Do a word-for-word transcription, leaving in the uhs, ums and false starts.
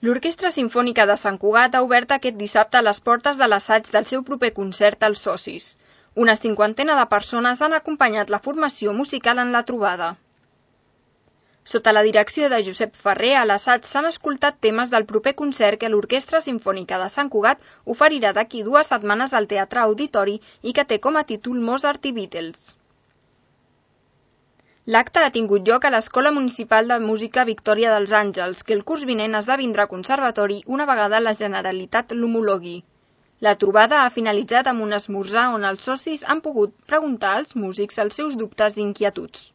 L'Orquestra Simfònica de Sant Cugat ha obert aquest dissabte les portes de l'assaig del seu proper concert als socis. Una cinquantena de persones han acompanyat la formació musical en la trobada. Sota la direcció de Josep Ferrer, a l'assaig s'han escoltat temes del proper concert que l'Orquestra Simfònica de Sant Cugat oferirà d'aquí dues setmanes al Teatre Auditori i que té com a títol Mozart i Beatles. L'acte ha tingut lloc a l'Escola Municipal de Música Victòria dels Àngels, que el curs vinent esdevindrà conservatori una vegada la Generalitat l'homologui. La trobada ha finalitzat amb un esmorzar on els socis han pogut preguntar als músics els seus dubtes i inquietuds.